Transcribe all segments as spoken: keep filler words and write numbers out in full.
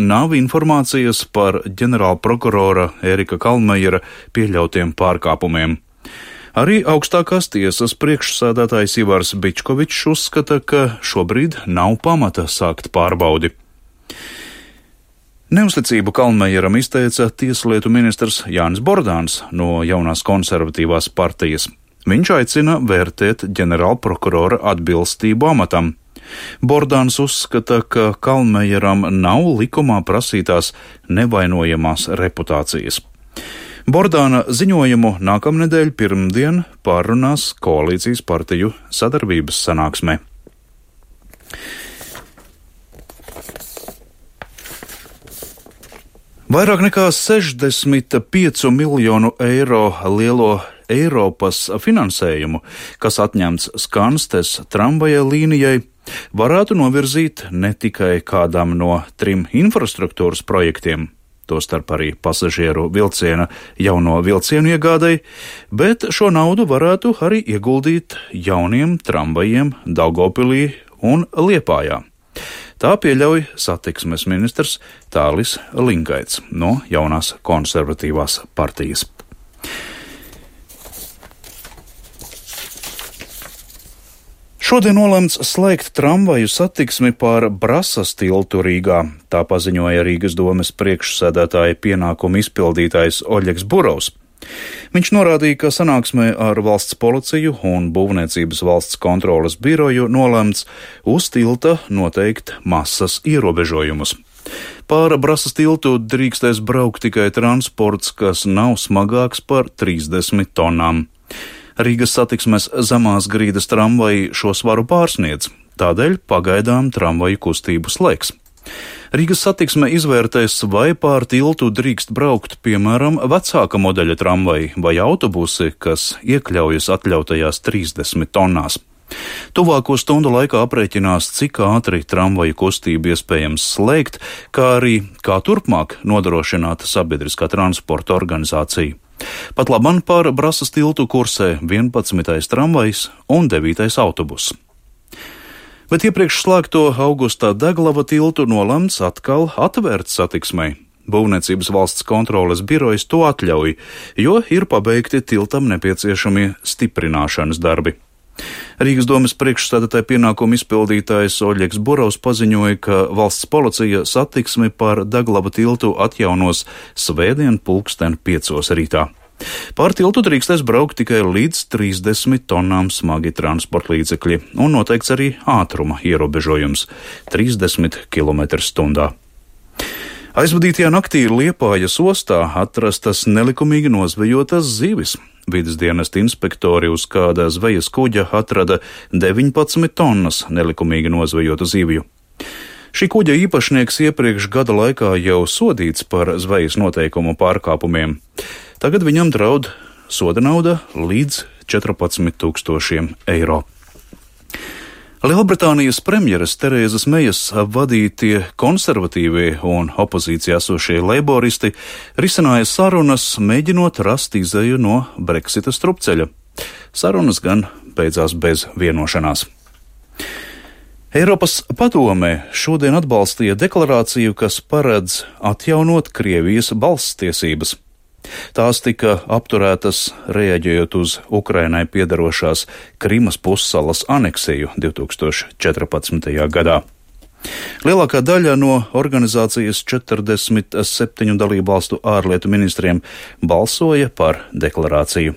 nav informācijas par ģenerālprokurora Ērika Kalnmejera pieļautiem pārkāpumiem. Arī augstākās tiesas priekšsēdētājs Ivars Bičkovičs uzskata, ka šobrīd nav pamata sākt pārbaudi. Neusticību Kalnmejeram izteica tieslietu ministrs Jānis Bordāns no jaunās konservatīvās partijas. Viņš aicina vērtēt ģenerālprokurora atbilstību amatam. Bordāns uzskata, ka Kalnmejeram nav likumā prasītās nevainojamās reputācijas. Bordāna ziņojumu nākamnedēļ pirmdien pārrunās koalīcijas partiju sadarbības sanāksmē. Vairāk nekā sešdesmit piecu miljonu eiro lielo Eiropas finansējumu, kas atņemts Skanstes tramvaja līnijai, varētu novirzīt ne tikai kādam no trim infrastruktūras projektiem, tostarp arī pasažieru vilciena jauno vilcienu iegādai, bet šo naudu varētu arī ieguldīt jauniem tramvajiem Daugavpilī un Liepājā. Tā pieļauj satiksmes ministrs Tālis Lingaits no jaunās konservatīvās partijas. Šodien nolemts slēgt tramvaju satiksmi pār Brasas tiltu Rīgā, tā paziņoja Rīgas domes priekšsēdētāja pienākumu izpildītājs Oļegs Burovs. Viņš norādīja, ka sanāksmē ar valsts policiju un būvniecības valsts kontroles biroju nolemts uz tilta noteikt masas ierobežojumus. Pār Brasas tiltu drīkstēs braukt tikai transports, kas nav smagāks par trīsdesmit tonām. Rīgas satiksmes zemās grīdas tramvaji šo svaru pārsniedz, tādēļ pagaidām tramvaju kustību slēgs. Rīgas satiksme izvērtēs, vai pār tiltu drīkst braukt, piemēram, vecāka modeļa tramvaji vai autobusi, kas iekļaujas atļautajās trīsdesmit tonnās. Tuvāko stundu laikā aprēķinās, cik ātri tramvaju kustību iespējams slēgt, kā arī kā turpmāk nodrošināt sabiedriskā transporta organizāciju. Pat labam pār Brasas tiltu kursē vienpadsmitais tramvajs un devītais autobus. Bet iepriekš slēgto Augustā Deglava tiltu nolemts atkal atvērt satiksmei. Būvniecības valsts kontroles birojas to atļauj, jo ir pabeigti tiltam nepieciešamie stiprināšanas darbi. Rīgas domes priekšsēdētāja pienākumu izpildītājs Oļegs Burovs paziņoja, ka valsts policija satiksmi pār Deglava tiltu atjaunos svētdien pulksten piecos rītā. Pār tiltu drīkstēs braukt tikai līdz trīsdesmit tonām smagi transporta līdzekļi un noteikts arī ātruma ierobežojums - trīsdesmit kilometri stundā. Aizvadītajā naktī Liepājas ostā atrastas nelikumīgi nozvejotas zivis. Vides dienesta inspektori uz kāda zvejas kuģa atrada deviņpadsmit tonnas nelikumīgi nozvejotu zivju. Šī kuģa īpašnieks iepriekš gada laikā jau sodīts par zvejas noteikumu pārkāpumiem. Tagad viņam draud soda nauda līdz četrpadsmit tūkstošiem eiro. Lielbritānijas premjeras Terēzas Mejas vadītie konservatīvie un opozīcijā esošie leiboristi risināja sarunas, mēģinot rast izeju no Brexita strupceļa. Sarunas gan beidzās bez vienošanās. Eiropas padome šodien atbalstīja deklarāciju, kas paredz atjaunot Krievijas balsstiesības. Tās tika apturētas reaģējot uz Ukrainai piedarošās Krimas pussalas aneksiju divi tūkstoši četrpadsmitajā gadā. Lielākā daļa no organizācijas četrdesmit septiņu dalībvalstu ārlietu ministriem balsoja par deklarāciju.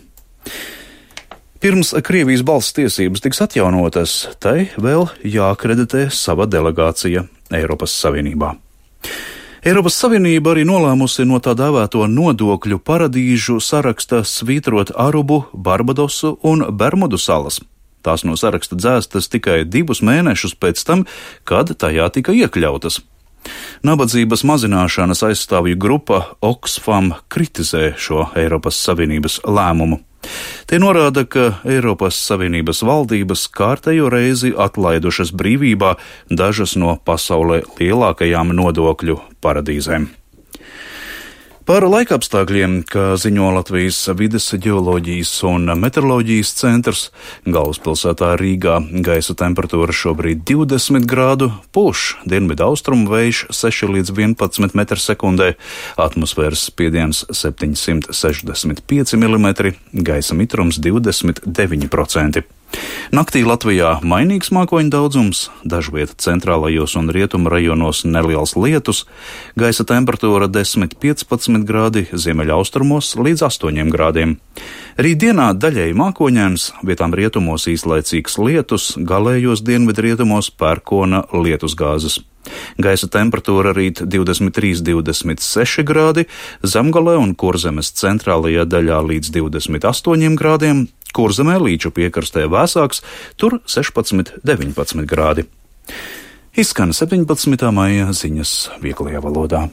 Pirms Krievijas balsstiesības tiks atjaunotas, tai vēl jāakreditē sava delegācija Eiropas Savienībā. Eiropas Savienība arī nolēmusi no tā dēvēto nodokļu paradīžu saraksta svītrot Arubu, Barbadosu un Bermudu salas. Tās no saraksta dzēstas tikai divus mēnešus pēc tam, kad tajā tika iekļautas. Nabadzības mazināšanas aizstāvju grupa Oxfam kritizē šo Eiropas Savienības lēmumu. Tie norāda, ka Eiropas Savienības valdības kārtējo reizi atlaidušas brīvībā dažas no pasaulē lielākajām nodokļu paradīzēm. Par laikapstākļiem, kā ziņo Latvijas vides ģeoloģijas un meteoroloģijas centrs, galvaspilsētā Rīgā gaisa temperatūra šobrīd divdesmit grādu, pūš dienvidu austrumu vējš seši līdz vienpadsmit metri sekundē, atmosfēras spiediens septiņsimt sešdesmit pieci milimetri, gaisa mitrums divdesmit deviņi procenti. Naktī Latvijā mainīgs mākoņu daudzums, dažviet centrālajos un rietumu rajonos neliels lietus, gaisa temperatūra desmit līdz piecpadsmit grādi, ziemeļaustrumos līdz astoņiem grādiem. Rītdienā daļēji mākoņains, vietām rietumos īslaicīgs lietus, galējos dienvidrietumos pērkona lietusgāzes. Gaisa temperatūra rīt divdesmit trīs līdz divdesmit seši grādi, Zemgalē un Kurzemes centrālajā daļā līdz divdesmit astoņiem grādiem, Kurzemē līču piekrastē vēsāks, tur sešpadsmit līdz deviņpadsmit grādi. Izskan septiņpadsmitā maija ziņas vieglajā valodā.